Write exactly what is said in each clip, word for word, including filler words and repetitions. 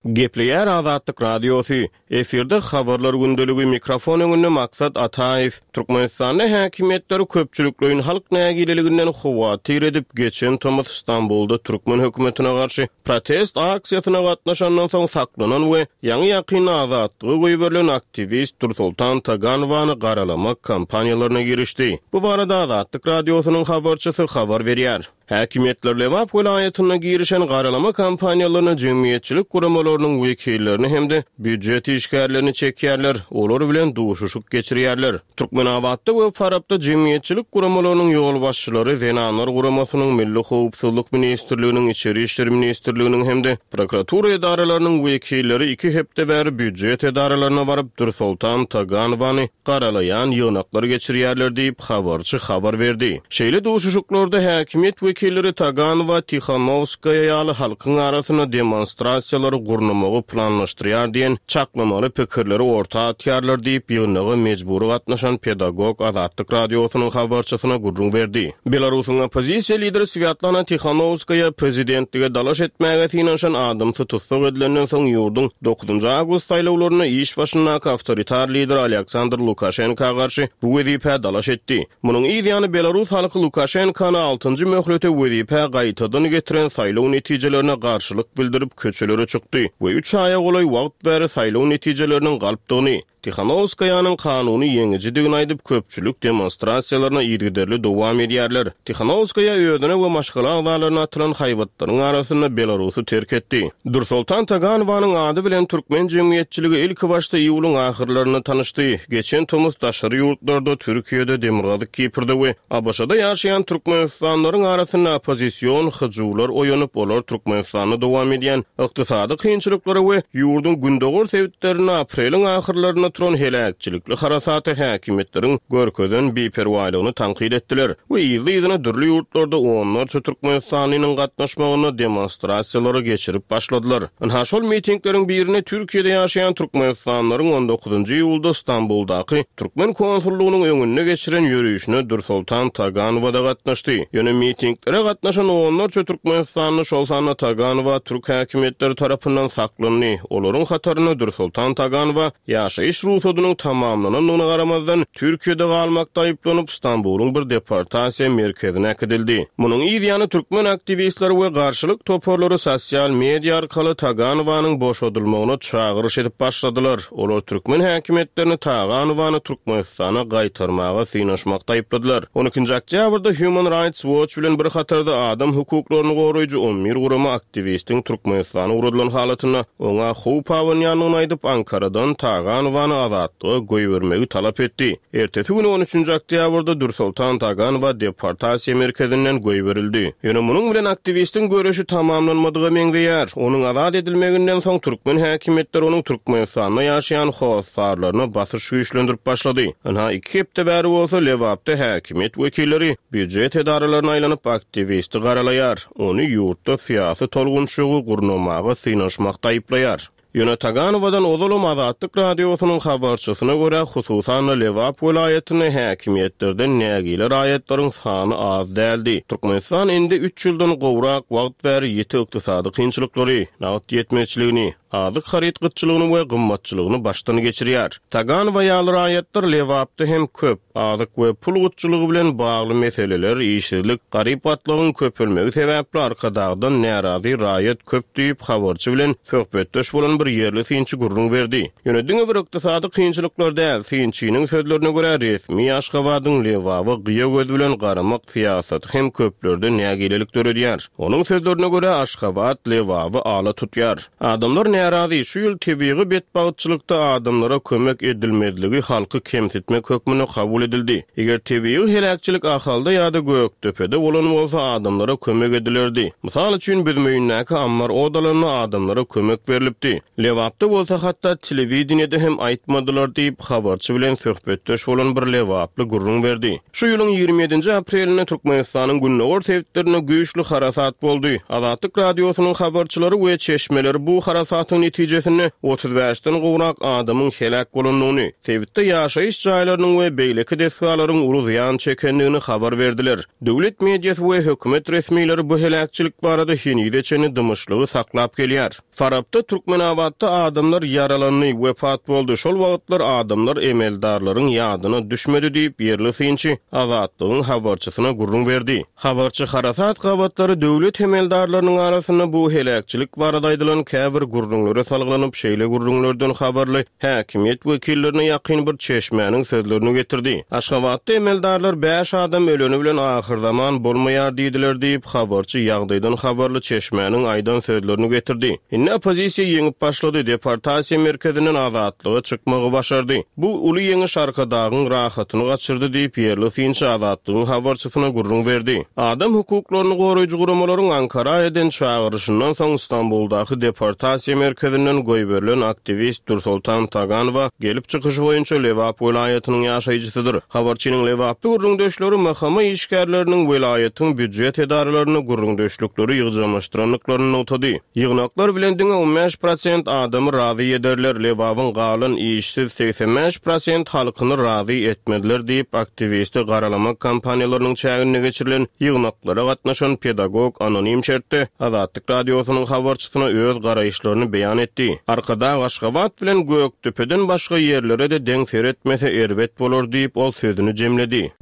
Gepleýär Azatlyk Radiosy, efirde Habarlar gündeligi, mikrofon öňünde Maksat Ataýew. Türkmenistanda häkimiýetler köpçülikleýin halk nägileliginden howatyr edip, geçen tomus Stambulda türkmen hökümetine garşy protest aksiýasyna gatnaşandan soň saklanan we ýaňy-ýakynda azatlyga goýberilen aktiwist Dursoltan Taganowany garalamak kampaniýalaryna girişdi. Bu barada Azatlyk Radiosynyň habarçysy habar berýär. Häkimiýetler Lebap welaýatynda girişen garalama kampaniýalaryna jemgyýetçilik guramalarynyň wekillerini hem-de býujet işgärlerini çekýärler, olar bilen duşuşyk geçirýärler. Türkmenabatda we Farapda jemgyýetçilik guramalarynyň ýolbaşçylary Zenanlar guramasynyň, Milli howpsuzlyk ministrliginiň, Içeri işler ministrliginiň hem-de prokuratura edaralarynyň wekilleri iki hepde bäri býujet edaralaryna baryp, Dürsoltan Taganowany garalaýan ýygnaklar geçirýärler diýip, habarçy habar berdi. Şeýle duşuşyklarda häkimiýet wekilleri Taganowa, Tihanowskaýa ýaly halkyň arasynda demonstrasiýalary gurnamagy planlaşdyrýar diýen çaklamaly pikirleri orta atýarlar diýip, ýygnaga mejbury gatnaşan pedagog Azatlyk Radiosynyň habarçysyna gürrüň berdi. Belarusyň oppozisiýa lideri Swýatlana Tihanowskaýa prezidentlige dalaş etmäge synanyşan adamsy tussag edilenden soň ýurduň dokuzynjy awgust saýlawlarynda iş başyndaky awtoritar lider Aleksandr Lukaşenka garşy bu wezipä dalaş etdi. Munuň yz ýany belarus halky Lukaşenkany altynjy möhlete wezipä gaýtadan getiren saýlaw netijelerine garşylyk bildirip köçelere çykdy we üç aýa golaý wagt bäri saýlaw netijeleriniň galpdygyny, Tihanowskaýanyň kanuny ýeňijidigini aýdyp, köpçülik demonstrasiýalaryna yzygiderli dowam edýärler. Tihanowskaýa özüne we maşgala agzalaryna atylan haýbatlaryň arasynda Belarusy terk etdi. Dursoltan Taganowanyň ady bilen türkmen jemgyýetçiligi ilkibaşda iýulyň ahyrlarynda tanyşdy. Geçen tomus daşary ýurtlarda, Türkiýede, Demirgazyk Kiprde we ABŞ-da ýaşaýan türkmenistanlylaryň arasynda oppozision hyjuwlar oýanyp, olar Türkmenistanda dowam edýän ykdysady kynçylyklara we ýurduň gündogar sebitlerinde apreliň ahyrlarynda turan heläkçilikli harasata häkimiýetleriň görkezen biperwaýlygyny tankyt etdiler we yzly-yzyna dürli ýurtlarda onlarça türkmenistanlynyň gatnaşmagynda demonstrasiýalary geçirip başladylar. Ynha şol mitingleriň birine Türkiýede ýaşaýan türkmenistanlylaryň on dokuzynjy iýulda Stambuldaky türkmen konsullygynyň öňünde geçiren ýörişine Dursoltan Taganowa-da gatnaşdy. Ýöne mitinglere gatnaşan onlarça türkmenistanly, şol sanda Taganowa türk häkimiýetleri tarapyndan saklandy. Olaryň hatarynda Dursoltan Taganowa ýaşaýyş rugsadynyň tamamlanandygyna garamazdan, Türkiýede galmakda aýyplanyp, Stambulyň bir deportasiýa merkezine äkidildi. Munuň yz ýany türkmen aktiwistleri we garşylyk toparlary sosial media arkaly Taganowanyň boşadylmagyna çagyryş edip başladylar. Olar türkmen häkimiýetlerini Taganowany Türkmenistana gaýtarmaga synanyşmakda aýypladylar. On ikinji oktýabrda Human Rights Watch bilen bir hatarda adam hukuklaryny goraýjy on bir gurama aktiwistiň Türkmenistana ugradylan halatynda oňa howp abanýandygyny aýdyp, Ankaradan Taganowany azatlyga goýbermegi talap etdi. Ertesi güni on üçünji oktýabrda Dürsoltan Taganowa deportasiýa merkezinden goýberildi. Ýöne munuň bilen aktiwistiň göreşi tamamlanmadyga meňzeýär. Onuň azat edilmeginden soň türkmen häkimiýetleri onuň Türkmenistanda ýaşaýan hossarlaryna basyş güýçlendirip başlady. Ynha iki hepde bäri bolsa Lebapda häkimiýet wekilleri býujet edaralaryna aýlanyp aktiwisti garalaýar. Ony ýurtda syýasy tolgunçylygy gurnamaga synanyşmakda aýyplaýar. Ýöne Taganowadan ozalam Azatlyk Radiosynyň habarçysyna görä, hususan-da Lebap welaýatynda häkimiýetlerden nägile raýatlaryň sany az däldi. Türkmenistan indi üç ýyldan gowrak wagt bäri ýiti ykdysady kynçylyklary, nagt ýetmezçiligini, azyk haryt gytçylygyny we gymmatçylygyny başdan geçirýär. Taganowa ýaly raýatlar Lebapda hem köp, azyk we pul gytçylygy bilen bagly meseleler, işsizlik, garyp gatlagyň köpelmegi sebäpli Arkadagdan närazy raýat köp diýip, habarçy bilen söhbetdeş bolan bir ýerli synçy gürrüň berdi. Ýöne diňe bir ykdysady kynçylyklar däl, synçynyň sözlerine görä, resmi Aşgabadyň Lebaba gyýa göz bilen garamak syýasaty hem köplerde nägilelik döredýär. Onuň sözlerine görä, Aşgabat Lebaby ala tutýar. Adamlar närazy, şu ýyl tebigy betbagtçylykda adamlara kömek edilmezligi halky kemsitmek hökmünde kabul edildi. Eger tebigy heläkçilik Ahalda ýa-da Gökdepede bolan bolsa, adamlara kömek edilerdi. Mysal üçin, Büzmeýindäki ammar odalanda adamlara kömek berlipdi. Lebapda bolsa hatda telewideniýede hem aýtmadylar diýip, habarçy bilen söhbetdeş bolan bir lebaply gürrüň berdi. Şu ýylyň ýigrimi ýedinji aprelinde Türkmenistanyň gündogar sebitlerinde güýçli harasat boldy. Azatlyk Radiosynyň habarçylary we çeşmeleri bu harasatyň Harasatyň netijesinde otuz bäşden gowrak adamyň heläk bolandygyny, sebitde ýaşaýyş jaýlarynyň we beýleki desgalaryň uly zyýan çekendigini habar berdiler. Döwlet mediasy we hökümet resmileri bu heläkçilik barada henize çenli dymyşlygy saklap gelýär. Farapda Türkmenabatda adamlar ýaralandy, wepat boldy. Şol wagtlar adamlar emeldarlaryň ýadyna düşmedi diýip ýerli synçy Azatlygyň habarçysyna gürrüň berdi. Habarçy harasat gabatlary döwlet emeldarlarynyň arasynda bu heläkçilik barada aýdylan käbir gürrüňlere salgylanyp şeýle gürrüňlerden habarly häkimiýet wekillerine ýakyn bir çeşmäniň sözlerini getirdi. Aşgabatda emeldarlar bäş adam öleni bilen ahyr zaman bolmaýar diýdiler diýip habarçy ýagdaýdan habarly çeşmäniň aýdan sözlerini getirdi. Indi oppozisiýa ýeňip başlady, deportasiýa merkezinden azatlyga çykmagy başardy. Bu uly ýeňiş Arkadagyň rahatyny gaçyrdy diýip ýerli synçy Azatlygyň habarçysyna gürrüň berdi. Adam hukuklaryny goraýjy guramalaryň Ankara eden çagyryşyndan soň Stambuldaky deportasiýa merkezinden goýberilen aktiwist Dursoltan Taganowa gelip çykyşy boýunça Lebap welaýatynyň ýaşaýjysydyr. Habarçynyň Lebaply gürrüňdeşleri M H M işgärleriniň welaýatyň býujet edaralaryny gürrüňdeşlikleri ýygjamlaşdyrandyklaryny nygtady. Ýygnaklar bilen diňe on bäş prosent adamy razy ederler, Lebabyň galan işsiz seksen bäş prosent halkyny razy etmediler diýip aktiwisti garalamak kampaniýalarynyň çäginde geçirilen ýygnaklara gatnaşan pedagog anonim şertde Azatlyk radiosynyň habarçysyna öz garaýyşlaryny beýan etdi. Arkadag Aşgabat bilen Gökdepeden başga ýerlere de deň seretmese erbet bolar diýip ol sözüni jemledi.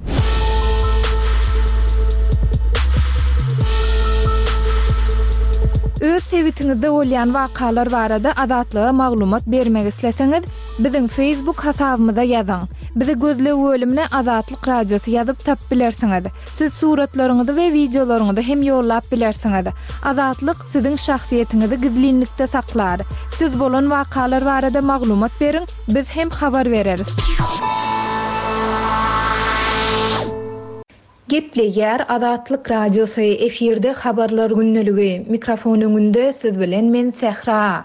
Öz sebitiňizde bolýan wakalar barada Azatlyga maglumat bermek isleseňiz, biziň Facebook hasabymyza ýazyň. Bizi gözleg bölümine Azatlyk Radiosy ýazyp tap bilersiňiz. Siz suratlaryňyzy we wideolaryňyzy hem ýollap bilersiňiz. Azatlyk siziň şahsyýetiňizi gizlinlikde saklar. Siz bolan wakalar barada maglumat beriň, biz hem habar bereris. Gepleýär Azatlyk Radiosy, efirde habarlar gündeligi. Mikrofon öňünde siz bilen men Sähra.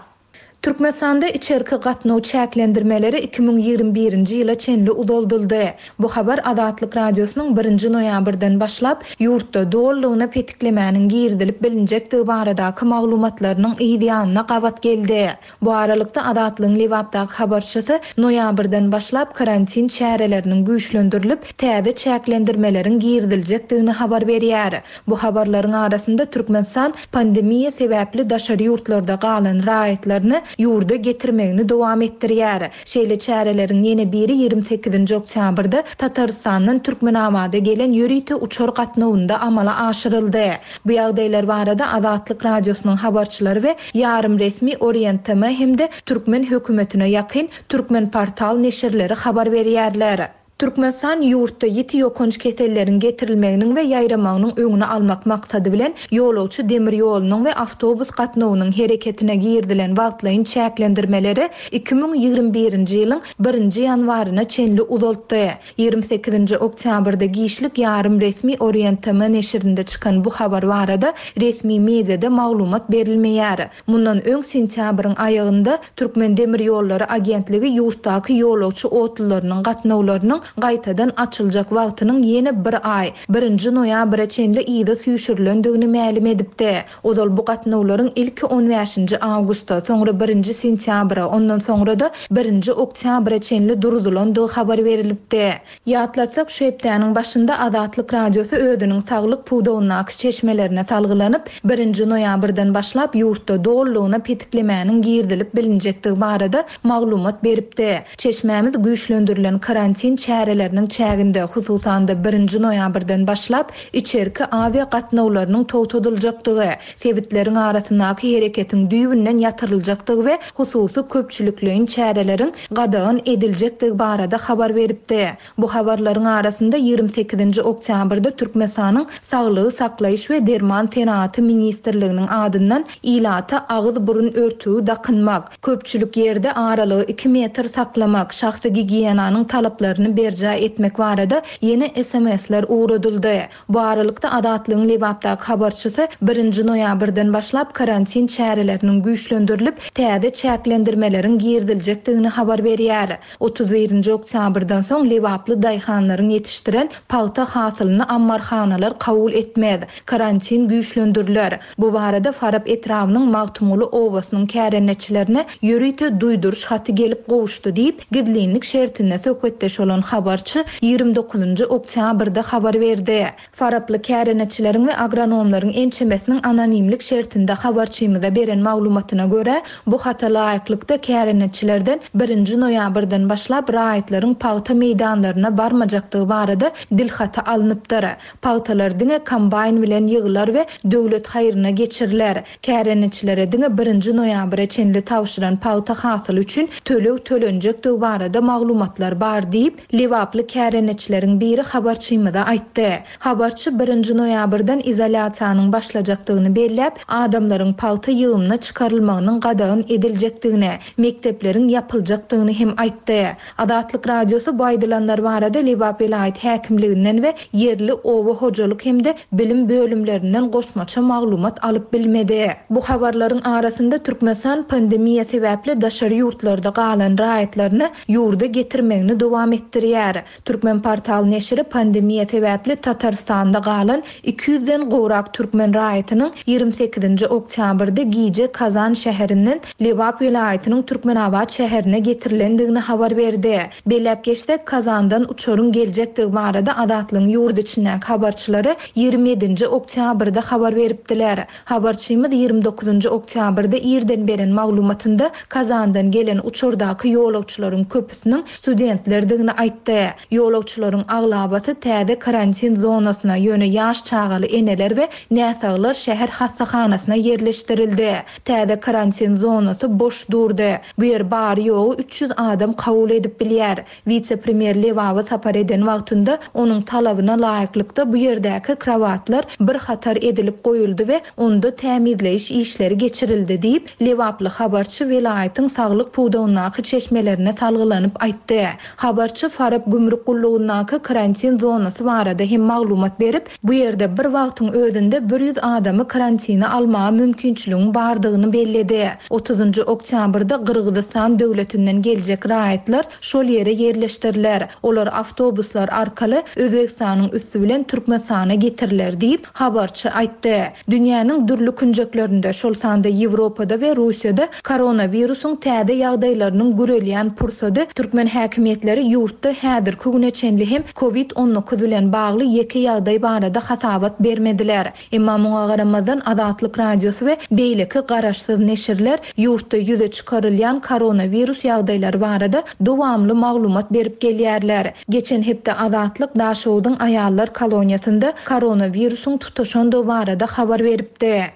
Türkmenistanda içerki gatnaw çäklendirmeleri iki müň ýigrimi birinji ýyla çenli uzaldyldy. Bu habar Azatlyk Radiosynyň birinji noýabrdan başlap ýurtda dolulygyna petiklemäniň girizilip bilinjekdigi baradaky maglumatlarynyň yz ýanyna gabat geldi. Bu aralykda Azatlygyň Lebapdaky habarçysy noýabrdan başlap karantin çäreleriniň güýçlendirilip täze çäklendirmeleriň giriziljekdigini habar berýär. Bu habarlaryň arasynda Türkmenistan pandemiýa sebäpli daşary ýurtlarda galan raýatlaryny ýurda getirmegini dowam etdirýär. Şeýle çäreleriň ýene biri ýigrimi sekizinji oktýabrda Tatarystandan Türkmenabada gelen ýörite uçar gatnawynda amala aşyryldy. Bu ýagdaýlar barada Azatlyk Radiosynyň habarçylary we ýarym resmi Orient T M hem-de Türkmen hökümetine ýakyn Türkmen portal neşirleri habar berýärler. Türkmenistan ýurtda ýiti ýokanç keselleriň getirilmeginiň we ýaýramagynyň öňüni almak maksady bilen ýolagçy demir ýolunyň we awtobus gatnawynyň hereketine girizilen wagtlaýyn çäklendirmeleri iki müň ýigrimi birinji ýylyň birinji ýanwaryna çenli uzaltdy. Ýigrimi sekizinji oktýabrda giçlik ýarym resmi Orient T M neşirinde çykan bu habar barada resmi mediada maglumat berilmeýär. Mundan öň sentýabryň aýagynda Türkmen Demir Ýollary Agentligi ýurtdaky ýolagçy otlularynyň gatnawlarynyň gaýtadan açyljak wagtynyň ýene bir aý, birinji noýabra çenli yza süýşürilendigini mälim edipdi. Ozal bu gatnawlaryň ilki on bäşinji awgustda, soňra birinji sentýabra, ondan soňra da birinji oktýabra çenli duruzylandygy habar berilipdi. Ýatlatsak, şu hepdäniň başynda Azatlyk Radiosy özüniň saglyk pudagyndaky çeşmelerine salgylanyp, birinji noýabrdan başlap ýurtda dolulygyna petiklemäniň girizilip bilinjekdigi barada maglumat beripdi. Çeşmämiz güýçlendirilen karantin çäreleriniň çäginde, hususan-da birinji noýabrdan başlap içerki awia gatnawlarynyň togtadyljakdygy, sebitleriň arasyndaky hereketiň düýbünden ýatyryljakdygy we hususy köpçülikleýin çäreleriň gadagan ediljekdigi barada habar beripdi. Bu habarlaryň arasynda ýigrimi sekizinji oktýabrda Türkmenistanyň Saglygy saklaýyş we Derman senagaty ministrliginiň adyndan ilata agyz burun örtügi dakynmak, köpçülik ýerde aralygy iki metr saklamak, şahsy gigiýenanyň talaplaryny berjaý etmek barada ýene S M S'ler ugradyldy. Bu aralykda Azatlygyň Lebapdaky habarçysy birinji noýabrdan başlap karantin çäreleriniň güýçlendirilip, täze çäklendirmeleriň giriziljekdigini habar berýär. Otuz birinji oktýabrdan soň lebaply daýhanlaryň ýetişdiren pagta hasylyny ammarhanalar kabul etmez. Karantin güýçlendiriler. Bu barada Farap etrabynyň Magtymguly obasynyň kärendeçilerine ýörite duýduryş haty gelip gowuşdy diýip, gizlinlik şertinde söhbetdeş bolan habarçy ýigrimi dokuzynjy oktýabrda habar berdi. Faraply kärendeçileriň we agronomlaryň ençemesiniň anonimlik şertinde habarçymyza beren maglumatyna görä, bu hata laýyklykda kärendeçilerden birinji noýabrdan başlap raýatlaryň pagta meýdanlaryna barmajakdygy barada dilhaty alnypdyr. Pagtalar diňe kombaýn bilen ýygylar we döwlet haýryna geçiriler. Kärendeçilere diňe birinji noýabra çenli tabşyran pagta hasyly üçin töleg tölenjekdigi barada maglumatlar bar diýip, lebaply kärendeçileriň biri habarçymyza aýtdy. Habarçy birinji noýabrdan izolýasiýanyň başlajakdygyny belläp, adamlaryň pagta ýygymyna çykarylmagynyň gadagan ediljekdigini, mekdepleriň ýapyljakdygyny hem aýtdy. Azatlyk Radiosy bu aýdylanlar barada Lebap welaýat häkimliginden we ýerli oba hojalyk hem-de bilim bölümlerinden goşmaça maglumat alyp bilmedi. Bu habarlaryň arasynda Türkmenistan pandemiýa sebäpli daşary ýurtlarda galan raýatlaryny ýurda getirmegini dowam etdirýär. Türkmen portal neşiri pandemiýa sebäpli Tatarstanda galan iki ýüzden gowrak türkmen raýatynyň ýigrimi sekizinji oktýabrda gije Kazan şäherinden Lebap welaýatynyň Türkmenabat şäherine getirilendigini habar berdi. Belläp geçsek, Kazandan uçaryň geljekdigi barada Azatlygyň ýurt içindäki habarçylary ýigrimi ýedinji oktýabrda habar beripdiler. Habarçymyz ýigrimi dokuzynjy oktýabrda irden beren maglumatynda Kazandan gelen uçardaky ýolagçylaryň köpüsiniň studentlerdigini aýtdy. Ýolagçylaryň aglabasy täze karantin zonasyna, ýöne ýaş çagaly eneler we näsaglar şäher hassahanasyna ýerleşdirildi. Täze karantin zonasy boş durdy. Bu ýer bary ýogy üç ýüz adam kabul edip bilýär. Wise-premýer Lebaba sapar eden wagtynda onuň talabyna laýyklykda bu ýerdäki kravatlar bir hatar edilip goýuldy we onda tämizleýiş işleri geçirildi diýip, lebaply habarçy welaýatyň saglyk pudagyndaky çeşmelerine salgylanyp aýtdy. Habarçy Farap gümrük gullugyndaky karantin zonasy barada hem maglumat berip, bu ýerde bir wagtyň özünde bir ýüz adamy karantina almaga mümkinçiligiň bardygyny belledi. Otuzynjy oktýabrda Gyrgyzystan döwletinden geljek raýatlar şol ýere ýerleşdiriler. Olar awtobuslar arkaly Özbegistanyň üsti bilen Türkmenistana getiriler diýip, habarçy aýtdy. Dünýäniň dürli künjeklerinde, şol sanda Ýewropada we Russiýada koronawirusyň täze ýagdaýlarynyň gürelýän pursady türkmen häkimiýetleri ýurtda häzirki güne çenli hem COVID on dokuz bilen bagly ýeke ýagdaý barada hasabat bermediler. Emma muňa garamazdan Azatlyk Radiosy we beýleki garaşsyz neşirler ýurtda ýüze çykarylýan koronawirus ýagdaýlary barada dowamly maglumat berip gelýärler. Geçen hepde Azatlyk Daşogzuň aýallar koloniýasynda koronawirusyň tutaşandygy barada habar beripdi.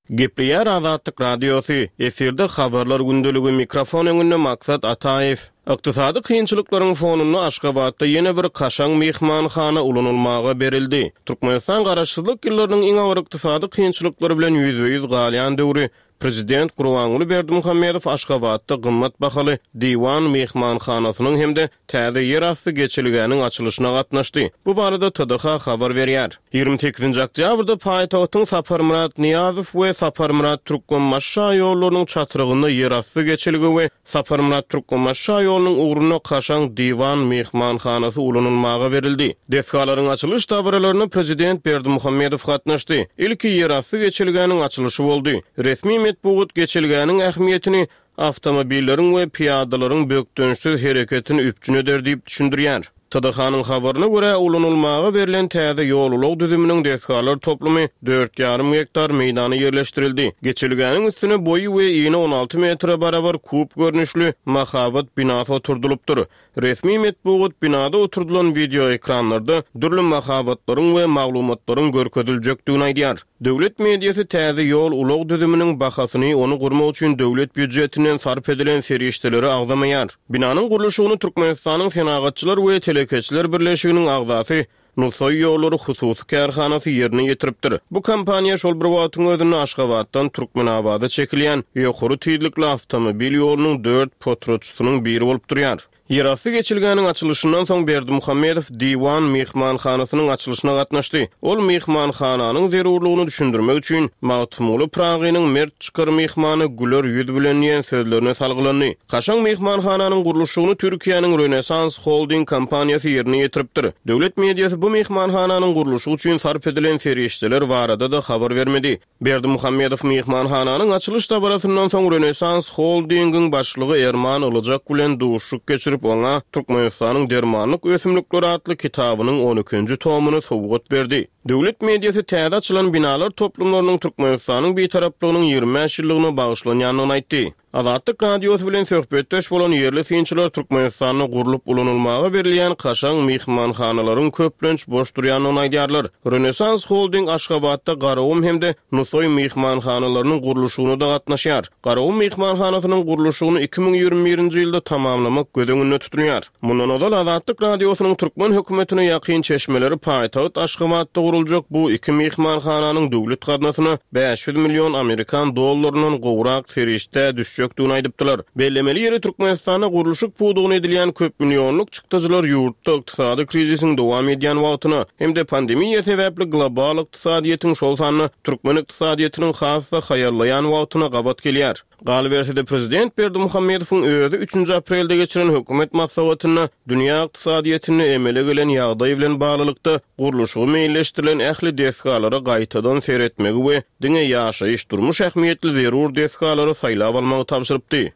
Gepleýär Azatlyk Radiosy, efirde habarlar gündeligi, mikrofon öňünde Maksat Ataýew. Ykdysady kynçylyklaryň fonunda Aşgabatda ýene bir kaşaň myhmanhana ulanylmaga berildi. Türkmenistan garaşsyzlyk ýyllarynyň iň agyr ykdysady kynçylyklary bilen ýüzbe-ýüz galýan döwri Prezident Gurbanguly Berdimuhamedow Aşgabatda gymmat bahaly Diwan myhmanhanasynyň hem-de täze ýerasty geçelgäniň açylyşyna gatnaşdy. Bu barada T D H habar berýär. Ýigrimi sekizinji oktýabrda paýtagtyň Saparmyrat Nyýazow we Saparmyrat Türkmenbaşy şaýollarynyň çatrygynda ýerasty geçelge we Saparmyrat Türkmenbaşy şaýolunyň ugrunda kaşaň Diwan myhmanhanasy ulanylmaga berildi. Desgalaryň açylyş dabaralaryna Prezident Berdimuhamedow gatnaşdy. Ilki ýerasty geçelgäniň açylyşy boldy. Resmi metbugat geçelgäniň ähmiýetini awtomobilleriň we pyýadalaryň bökdençsiz hereketini üpjün eder diýip düşündirýär. T D H-nyň habaryna görä, ulanylmaga berlen täze ýol-ulag düzüminiň desgalar toplumy dört ýarym gektar meýdana ýerleşdirildi. Geçelgäniň üstüne boýy we ýene on alty metre barabar kub görnüşli mahabat binasy oturdylypdyr. Resmi metbugat binada oturdylan video ekranlarda dürli mahabatlaryň we maglumatlaryň görkeziljekdigini aýdýar. Döwlet mediasy täze ýol ulag düzüminiň bahasyny, ony gurmak üçin döwlet býujetinden sarp edilen serişdeleri agzamaýar. Binanyň gurluşygyny Türkmenistanyň Senagatçylar we telekeçiler birleşiginiň agzasy Nusaý ýollary hususy kärhanasy ýerine ýetiripdir. Bu kompaniýa şol bir wagtyň özünde Aşgabatdan Türkmenabada çekilýän ýokary tizlikli awtomobil ýolunyň dört potratçysynyň biri bolup durýar. Ýerasty geçelgäniň açylyşyndan soň Berdimuhamedow Diwan myhmanhanasynyň açylyşyna gatnaşdy. Ol myhmanhananyň zerurlygyny düşündirmek üçin Magtymguly Pyragynyň "Mert çykar myhmany güler ýüz bilen" diýen sözlerine salgylandy. Kaşaň myhmanhananyň gurluşygyny Türkiýäniň Rönesans Holding kompaniýasy ýerine ýetiripdir. Döwlet mediasy bu myhmanhananyň gurluşygy üçin sarp edilen serişdeler barada-da habar bermedi. Berdimuhamedow myhmanhananyň açylyş dabarasyndan soň Rönesans Holdingiň başlygy Erman Ilyjak bilen duşuşyk geçirip, oňa Türkmenistanyň dermanlyk ösümlikleri atly kitabynyň on ikinji tomuny sowgat berdi. Döwlet mediasy täze açylan binalar toplumlarynyň Türkmenistanyň bitaraplygynyň ýigrimi bäş ýyllygyna bagyşlanýandygyny aýtdy. Azatlyk Radiosy bilen söhbetdeş bolan ýerli synçylar Türkmenistanda gurlup ulanylmaga berilýän kaşaň myhmanhanalaryň köplenç boş durýandygyny aýdýarlar. Rönesans Holding Aşgabatda Garagum hem-de Nusaý myhmanhanalarynyň gurluşygyna da gatnaşýar. Garagum myhmanhanasynyň gurluşygyny iki müň ýigrimi birinji ýylda tamamlamak göz öňünde tutulýar. Mundan ozal Azatlyk Radiosynyň türkmen hökümetine ýakyn çeşmeleri paýtagt Aşgabatda guruljak bu iki myhmanhananyň döwlet gaznasyna bäş ýüz million amerikan dollaryndan gowrak serişde düşjekdigini aýdypdylar. Bellemeli ýeri Türkmenistanda gurluşyk pudagyna edilýän köp millionlyk çykdajylar ýurtda ykdysady krizisiň dowam edýän wagtyna hem-de pandemiýa sebäpli global ykdysadyýetiň şol sanda türkmen ykdysadyýetiniň has-da haýallaýan wagtyna gabat gelýär. Galyberse-de prezident Berdimuhamedowyň özi üçünji aprelde geçiren hökümet maslahatynda dünýä ykdysadyýetinde emele gelen ýagdaý bilen baglylykda gurluşygy meýilleşdirilen ähli desgalara gaýtadan seretmegi we diňe ýaşaýyş durmuş ähmiýetli zerur desgalary saýlap almagy tabşyrypdy.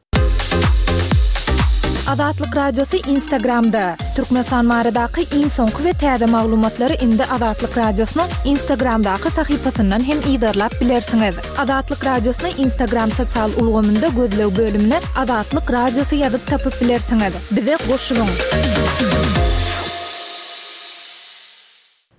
Azatlyk Radiosy Instagramda. Türkmenistan baradaky iň soňky we täze maglumatlary indi Azatlyk Radiosynyň Instagramdaky sahypasyndan hem yzarlap bilersiňiz. Azatlyk Radiosyny Instagram sosial ulgamynda gözleg bölümine Azatlyk Radiosy ýazyp tapyp bilersiňiz. Bize goşulyň.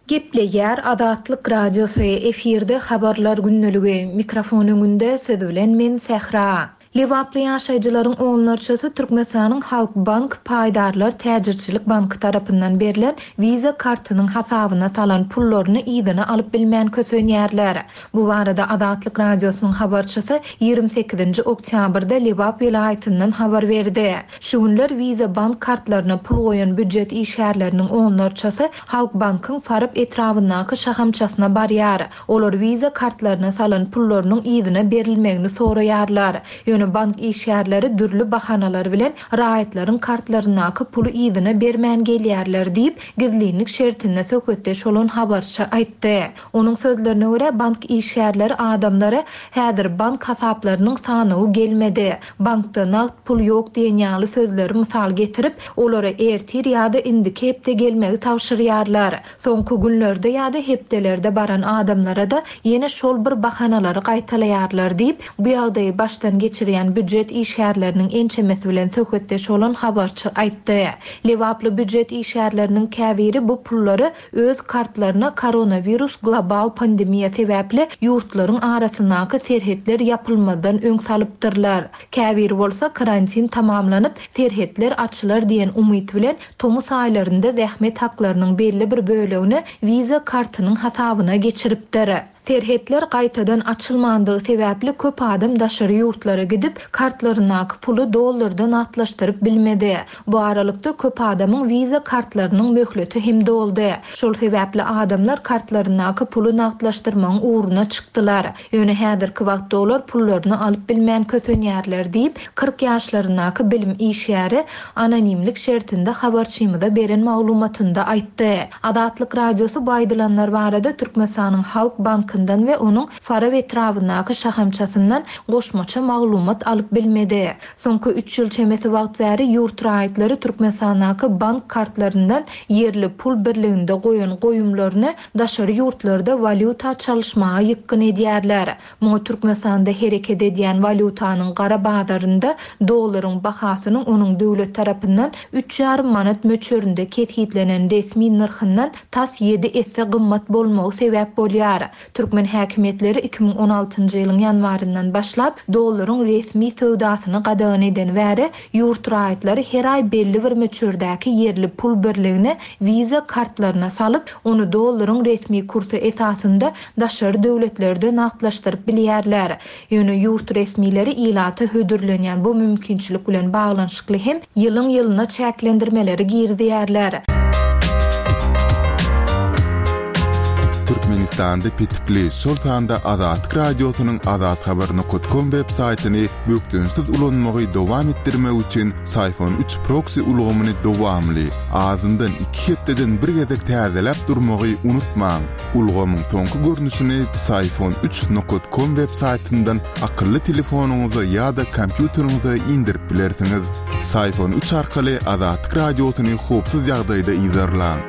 Gepleýär Azatlyk Radiosy, efirde habarlar gündeligi, mikrofon öňünde siz bilen men Sähra. Lebaply ýaşaýjylaryň onlarçasy Türkmenistanyň Halk Bank Paýdarlar Täjirçilik Banky tarapyndan berlen Visa kartynyň hasabyna salan pullaryny yzyna alyp bilmän kösenýärler. Bu barada Azatlyk Radiosynyň habarçysy ýigrimi sekizinji oktýabrda Lebap welaýatyndan habar berdi. Şu günler Visa bank kartlaryna pul goýan býujet işgärleriniň onlarçasy Halk Bankyň Farap etrabyndaky şahamçasyna barýar. Olar Visa kartlaryna salan pullarynyň yzyna berilmegini soraýarlar. Ýöne bank işgärleri dürli bahanalar bilen raýatlaryň kartlaryndaky puly yzyna bermän gelýärler diýip, gizlinlik şertinde söhbetdeş bolan habarçy aýtdy. Onuň sözlerine görä bank işgärleri adamlara häzir bank hasaplarynyň sanawy gelmedi. Bankda nagt pul ýok diýen ýaly sözleri mysal getirip, olara ertir ýa-da indiki hepde gelmegi tabşyrýarlar. Soňky günlerde ýa-da hepdelerde baran adamlara da ýene şol bir bahanalary gaýtalaýarlar diýip, bu ýagdaýy başdan geçirýän býujet işgärleriniň ençemesi bilen söhbetdeş bolan habarçy aýtdy. Lebaply býujet işgärleriniň käbiri bu pullary öz kartlaryna koronawirus global pandemiýa sebäpli ýurtlaryň arasyndaky serhetler ýapylmazdan öň salypdyrlar. Käbiri bolsa karantin tamamlanyp, serhetler açylar diýen umyt bilen tomus aýlarynda zähmet haklarynyň belli bir bölegini Visa kartynyň hasabyna geçiripdir. Serhetler gaýtadan açylmandygy sebäpli köp adam daşary ýurtlara gidip, kartlaryndaky puly dollardan atlaşdyryp bilmedi. Bu aralykda köp adamyň Visa kartlarynyň möhleti hem doldy. Şol sebäpli adamlar kartlaryndaky puly nagtlaşdyrmagyň ugruna çykdylar. Ýöne häzirki wagtda olar pullaryny alyp bilmän kösenýärler diýip, kyrk ýaşlaryndaky bilim işgäri anonimlik şertinde habarçymyza beren maglumatynda aýtdy. Azatlyk Radiosy bu aýdylanlar barada Türkmenistanyň Halk Bankyndan we onuň Farap etrabyndaky şahamçasyndan goşmaça maglumat alyp bilmedi. Soňky üç ýyl çemesi wagt bäri ýurt raýatlary Türkmenistandaky bank kartlaryndan ýerli pul birliginde goýan goýumlaryny daşary ýurtlarda walýuta çalyşmaga ýykgyn edýärler. Muňa Türkmenistanda hereket edýän walýutanyň gara bazarynda dollaryň bahasynyň onuň döwlet tarapyndan üç ýarym manat möçberinde kesgitlenen resmi nyrhyndan tas ýedi esse gymmat bolmagy sebäp bolýar. Türkmen häkimiýetleri iki müň on altynjy ýylyň ýanwaryndan başlap dollaryň resmi söwdasyny gadagan eden bäri ýurt raýatlary her aý belli bir möçberdäki ýerli pul birligini Visa kartlaryna salyp, ony dollaryň resmi kursy esasynda daşary döwletlerde nagtlaşdyryp bilýärler. Ýöne ýurt resmileri ilata hödürlenýän bu mümkinçilik bilen baglanyşykly hem ýylyň ýylyna çäklendirmeleri girizýärler. Türkmenistanda petikli, şol sanda Azatlyk Radiosynyň azathabar nokta com web saýtyny bökdençsiz ulanmagy dowam etdirmek üçin Syfon üç proxy ulgamyny dowamly, azyndan iki hepdeden bir gezek täzeläp durmagy unutmaň. Ulgamyň soňky görnüşini Syfon üç nokta com web saýtyndan akylly telefonyňyza ýa-da kompýuteriňize indirip bilersiňiz. Syfon üç arkaly Azatlyk Radiosyny howpsuz ýagdaýda yzarlaň.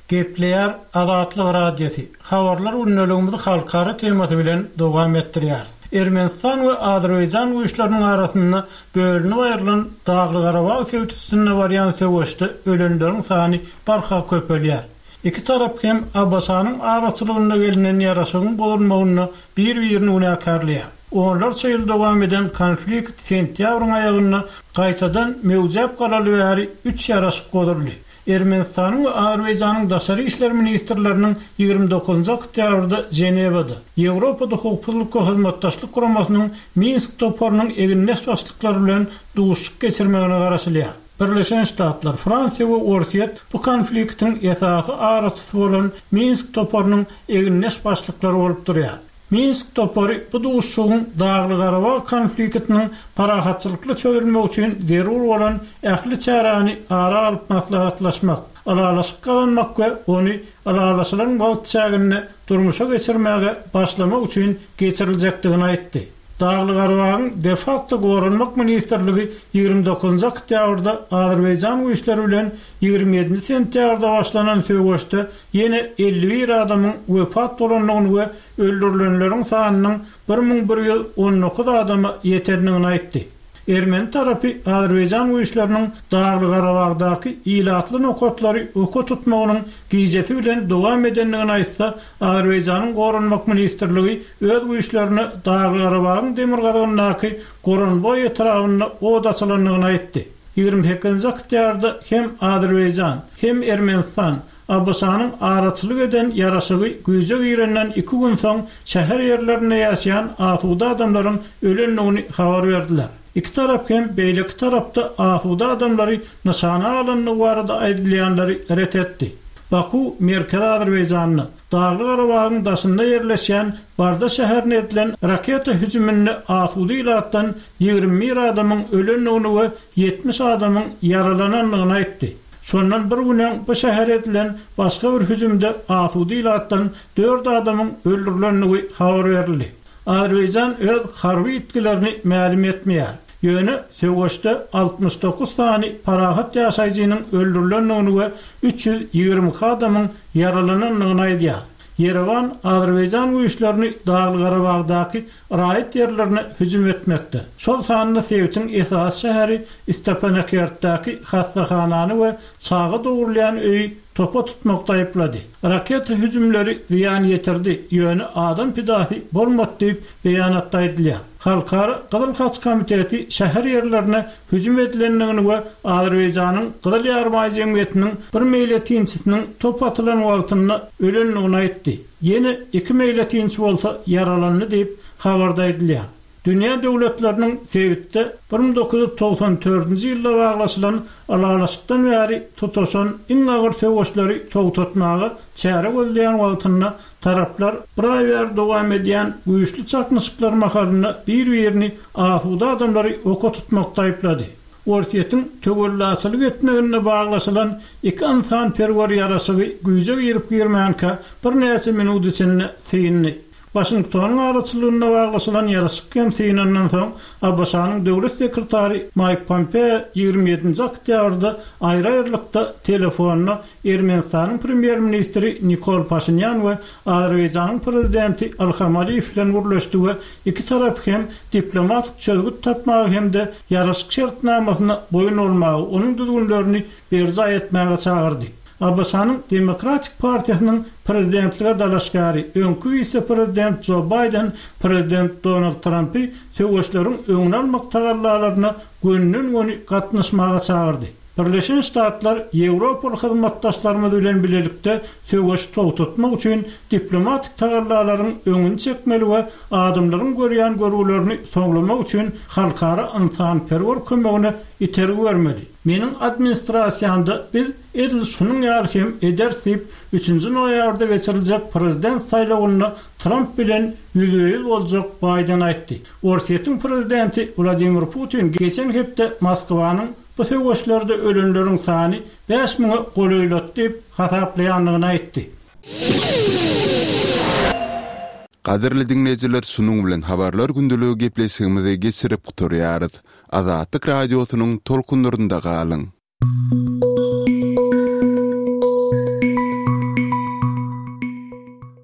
Gepleýär Azatlyk Radiosy. Habarlar gündeligimizi halkara temasy bilen dowam etdirýär. Ermenistan we Azerbaýjan güýçleriniň arasynda bölünip aýrylan Dagly-Garabag sebitinde barýan söweşde ölenleriň sany barha köpelýär. Iki tarap hem A B Ş-nyň araçylygynda gelinen ýaraşygyň bozulmagyna bir-birini günäkärleýär. Onlarça ýyl dowam eden konflikt sentýabryň aýagynda gaýtadan möwjäp galaly bäri üç ýaraşyk bozuldy. Ermenistanyň we Azerbaýjanyň daşary işler ministrleriniň ýigrimi dokuzynjy oktýabrda Ženewada Ýewropada howpsuzlyk we hyzmatdaşlyk guramasynyň Minsk toparynyň egindeş başlyklary bilen duşuşyk geçirmegine garaşylýar. Birleşen Ştatlar, Fransiýa we Orsýet bu konfliktiň esasy araçysy bolan Minsk toparynyň egindeş başlyklary bolup durýar. Minsk topary bu duşuşygyň Dagly-Garabag konfliktiniň parahatçylykly çözülmegi üçin zerur bolan ähli çäräni ara alyp maslahatlaşmak, ylalaşyk gazanmak we ony ylalaşylan wagt çäginde durmuşa geçirmäge başlamak üçin geçiriljekdigini aýtdy. Dagly-Garabagyň de facto goranmak ministrligi ýigrimi dokuzynjy oktýabrda Azerbaýjan güýçleri bilen ýigrimi ýedinji sentýabrda başlanan söweşde ýene elli bir adamyň wepat bolandygyny we öldürilenleriň sanynyň bir müň bir ýüz on dokuz adama ýetendigini aýtdy. Ermeni tarapy Azerbaýjan güýçleriniň Dagly-Garabagdaky ilatly nokatlary oka tutmagynyň gijesi bilen dowam edendigini aýtsa, Azerbaýjanyň goranmak ministrligi öz güýçlerine Dagly-Garabagyň demirgazygyndaky Goranboý etrabynda od açylandygyny aýtdy. Ýigrimi sekizinji oktýabrda hem Azerbaýjan, hem Ermenistan A B Ş-nyň araçylyk eden ýaraşygy güýje girenden iki gün soň şäher ýerlerinde ýaşaýan asuda adamlaryň ölendigini habar berdiler. Iki tarap hem beýleki tarapda asuda adamlary nyşana alyndygy barada aýdylýanlary ret etdi. Baku Merkezi Azerbaýjanda Dagly-Garabagyň daşynda ýerleşýän Barda şäherine edilen raketa hüjüminde asuda ilatdan ýigrimi bir adamyň ölendigini we ýetmiş adamyň ýaralanandygyny aýtdy. Şondan bir gün öň bu şähere edilen başga bir hüjümde asuda ilatdan dört adamyň öldürilendigi habar berildi. Azerbaýjan öz harby ýitgilerini mälim etmeýär. Ýöne söweşde altmyş dokuz sany parahat ýaşaýjynyň öldürilendigini we üç ýüz ýigrimi iki adamyň ýaralanandygyny aýdýar. Ýerewan Azerbaýjan güýçlerini Dagly-Garabagdaky raýat ýerlerine hüjüm etmekde. Şol sanda sebitiň esasy şäheri Stepanakertdäki hastahanany we çaga dogurlaýan öýi topa tutmakda aýyplady. Raketa hüjümleri zyýan ýetirdi, ýöne adam pidasy bolmady diýip beýanatda aýdylýar. Halkara Gyzyl Haç Komiteti şäher ýerlerine hüjüm edilendigini we Azerbaýjanyň Gyzyl Ýarmaý jemgyýetiniň bir meýletinçisiniň top atylan wagtynda ölendigini aýtdy. Ýene iki meýletinçi bolsa ýaralandy diýip habarda aýdylýar. Dünýä döwletleriniň sebitde bir müň dokuz ýüz togsan dördünji ýylda baglaşylan ylalaşykdan bäri tutaşan iň agyr söweşleri togtatmaga çäre gözleýän wagtynda taraplar bir aý bäri dowam edýän güýçli çaknyşyklar mahalynda bir-birini asuda adamlary oka tutmakda aýyplady. Orsýetiň töwellaçylyk etmeginde baglaşylan iki ynsanperwer ýaraşygy güýje girip girmänkä birnäçe minut içinde syndy. Waşingtonyň araçylygynda baglaşylan ýaraşyk hem synandan soň A B Ş-nyň döwlet sekretary Mike Pompeo ýigrimi ýedinji oktýabrda aýry-aýrylykda telefonda Ermenistanyň premýer-ministri Nikol Paşinyan we Azerbaýjanyň prezidenti Ilham Aliýew bilen gürleşdi we iki tarap hem diplomatik çözgüt tapmagy hem de ýaraşyk şertnamasyna boýun bolmagy, onuň düzgünlerini berjaý etmäge çagyrdy. ABŞ-nyň Demokratik partiýasynyň prezidentlige dalaşgäri, öňki wise-prezident Jo Baýden prezident Donald Trampy söweşleriň öňüni almak tagallalaryna gönüden-göni gatnaşmaga çagyrdy. Birleşen Ştatlar ýewropaly hyzmatdaşlarymyz bilen bilelikde söweşi togtatmak üçin diplomatik tagallalaryň öňüni çekmeli we adamlaryň görýän görgülerini soňlamak üçin halkara ynsanperwer kömegine itergi bermeli. Meniň administrasiýamda biz edil şunuň ýaly hem ederis diýip, üçünji noýabrda geçiriljek prezident saýlawynda Tramp bilen ýüzbe-ýüz boljak Baýden aýtdy. Orsýetiň prezidenti Wladimir Putin geçen hepde Moskwanyň bu söweşlerde ölenleriň sany bäş müňe golaýlady diýip hasaplaýandygyny aýtdy. Gadyrly diňleýjiler şunuň bilen Habarlar gündeligi gepleşigimizi geçirip gutarýarys. Azatlyk Radiosynyň tolkunlarynda galyň.